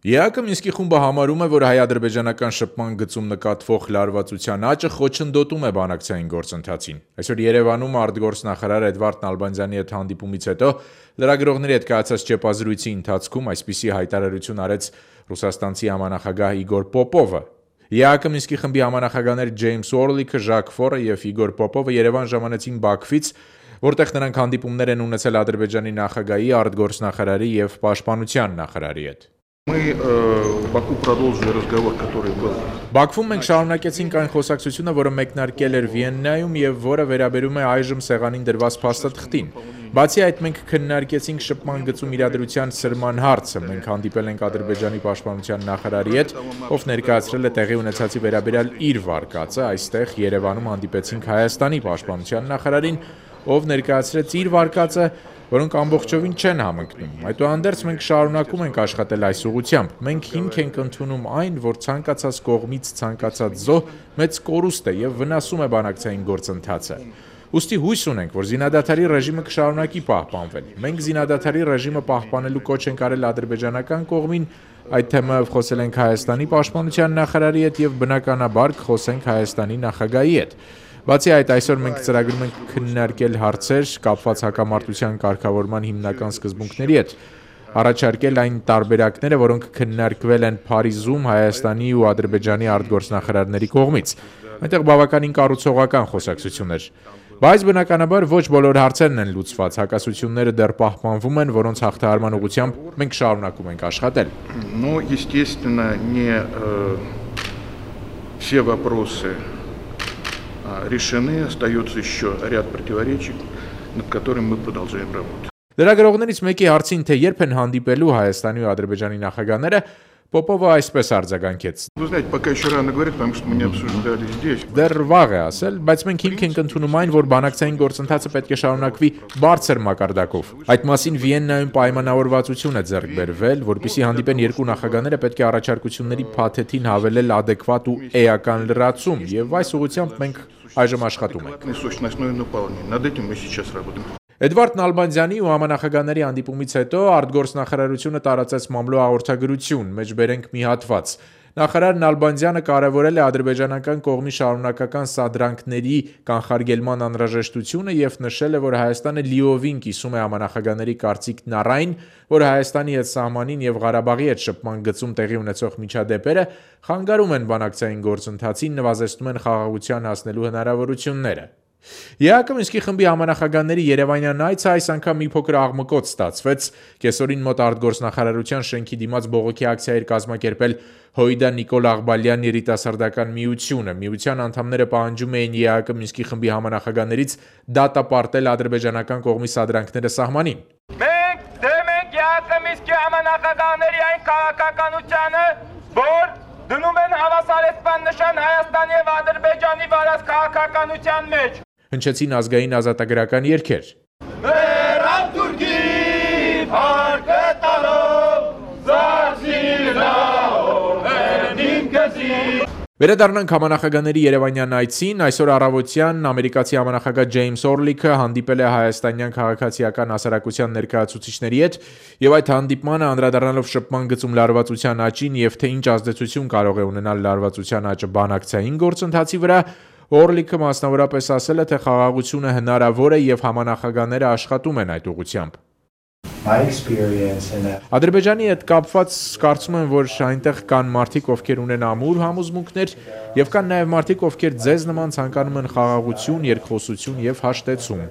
ԵԱԿ Մինսկի խումբը համարում է, որ հայ-ադրբեջանական շփման գծում նկատվող լարվածության աճը խոչընդոտում է բանակցային գործընթացին։ Այսօր Երևանում արտգործնախարար Էդվարդ Նալբանդյանի հետ հանդիպումից հետո լրագրողների հետ կայացած ճեպազրույցի ընթացքում այսպիսի հայտարարություն արեց ռուսաստանցի համանախագահ Իգոր Պոպովը։ ԵԱԿ Մինսկի խմբի համանախագահներ Ջեյմս Օրլիքը, Ժակ Ֆորը եւ Իգոր Պոպովը Երևան ժամանեցին Բաքվից, որտեղ նրանք հանդիպումներ են ունեցել Ադրբեջանի նախագահի, արտգործնախարարի եւ պաշտպանության նախարարի հետ։ Բաքվում մենք շարունակեցինք այն խոսակցությունը, որը մեկնարկել էր Վիեննայում եւ որը վերաբերում է այժմ սեղանին դրված փաստաթղթին։ Բացի այդ, մենք քննարկեցինք շփման գծում իրադրության սրման հարցը։ Մենք հանդիպել ենք Ադրբեջանի պաշտպանության նախարարի հետ, ով ներկայացրել է տեղի ունեցածի վերաբերյալ իր վարկածը, այստեղ Երևանում հանդիպեցինք Հայաստանի պաշտպանության նախարարին, ով ներկայացրեց իր վարկածը, որոնք ամբողջովին չեն համընկնում։ Այդուհանդերձ մենք շարունակում ենք աշխատել այս ուղղությամբ։ Մենք հիմք ենք ընդունում այն, որ ցանկացած կողմից ցանկացած զոհ մեծ կորուստ է եւ վնասում է բանակցային գործընթացը։ Ուստի հույս ունենք, որ զինադադարի ռեժիմը կշարունակի պահպանվել։ Մենք զինադադարի ռեժիմը պահպանելու կոչ ենք արել ադրբեջանական կողմին, այդ թեմայով խոսել ենք Հայաստանի պաշտպանության նախարարի հետ եւ բնականաբար կխոսենք Հայաստանի նախագահի հետ։ Բացի այդ, այսօր մենք ծրագրում ենք քննարկել հարցեր կապված հակամարտության կարգավորման հիմնական սկզբունքների հետ, առաջարկել այն տարբերակները, որոնք քննարկվել են Փարիզում Հայաստանի ու Ադրբեջանի արտգործնախարարների կողմից։ Այնտեղ բավականին կառուցողական խոսակցություն էր։ Բայց բնականաբար ոչ բոլոր հարցերն են լուծված, հակասությունները դեռ պահպանվում են, որոնց հաղթահարման ուղղությամբ մենք շարունակում ենք աշխատել։ Ну, естественно, не все вопросы решены, остается еще ряд противоречий, над которыми мы продолжаем работать. Լրագրողներից մեկի հարցին, թե երբ են հանդիպելու Հայաստանի ու Ադրբեջանի նախագահները, Պոպովը այսպես արձագանքեց. Вы знаете, пока еще рано говорить, потому что мы не обсуждали здесь. Դեռ վաղ է ասել, բայց մենք հիմք ենք ընդունում այն, որ բանակցային գործընթացը պետք է շարունակվի բարձր մակարդակով։ Այդ մասին Վիեննայում պայմանավորվածություն է ձեռք բերվել, որպեսզի հանդիպեն երկու նախագահները, պետք է առաջարկությունների փաթեթին հավելել adekvat ու էական լրացում, եւ այս ուղղությամբ մենք այժմ աշխատում ենք։ Над этим мы сейчас работаем. Էդվարդ Նալբանդյանի ու համանախագահների հանդիպումից հետո արտգործնախարարությունը տարածեց մամլո հաղորդագրություն, մեջբերենք մի հատված։ Նախարար Նալբանդյանը կարևորել է ադրբեջանական կողմի շարունակական սադրանքների կանխարգելման անհրաժեշտությունը եւ նշել է, որ Հայաստանը լիովին կիսում է համանախագահների կարծիքն առ այն, որ Հայաստանի հետ սահմանին եւ Ղարաբաղի հետ շփման գծում տեղի ունեցող միջադեպերը խանգարում են բանակցային գործընթացին, նվազեցնում են խաղաղության հասնելու հնարավորությունները։ ԵԱԿ Մինսկի խմբի համանախագահների Երևանյան այցը այս անգամ մի փոքր աղմկոտ ստացվեց։ Կեսօրին մոտ արտգործնախարարության շենքի դիմաց բողոքի ակցիա էր կազմակերպել Հոյդա Նիկոլ Աղբալյան երիտասարդական միությունը։ Միության անդամները պահանջում էին ԵԱԿ Մինսկի խմբի համանախագահներից դատապարտել ադրբեջանական կողմի սադրանքները սահմանին։ Մենք դեմ ենք ԵԱԿ Մինսկի համանախագահների այն քաղաքականությանը, որ դնում են հավասարեցման նշան Հայաստանի եւ Ադրբեջանի վարած քաղաքականության մեջ։ Հնչեցին ազգային ազատագրական երգեր։ Վերապ Թուրքի փառքը տալով զարսիրնահող ինքզի։ Վերադառնանք համանախագահների Երևանյան այցին, այսօր առավոտյան ամերիկացի համանախագահ Ջեյմս Օրլիքը հանդիպել է հայաստանյան քաղաքացիական հասարակության ներկայացուցիչների հետ եւ այդ հանդիպմանը անդրադառնալով շփման գծում լարվածության աճին եւ թե ինչ ազդեցություն կարող է ունենալ լարվածության աճը բանակցային գործընթացի վրա, Օրլիքը մասնավորապես ասել է, թե խաղաղությունը հնարավոր է եւ համանախագահները աշխատում են այդ ուղղությամբ։ Ադրբեջանի հետ կապված կարծում եմ, որ այնտեղ կան մարդիկ, ովքեր ունեն ամուր համոզմունքներ եւ կան նաեւ մարդիկ, ովքեր ձեզ նման ցանկանում են խաղաղություն, երկխոսություն եւ հաշտեցում։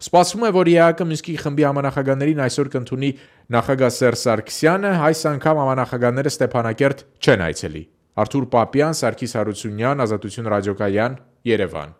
Սպասվում է, որ ԵԱԿ Մինսկի խմբի համանախագահներին այսօր կընդունի նախագահ Սերժ Սարգսյանը, այս անգամ համանախագահները Ստեփանակերտ չեն այցելի։ Արթուր Պապյան, Սարգիս Հարությունյան, Ազատություն ռադիոկայան, Երևան։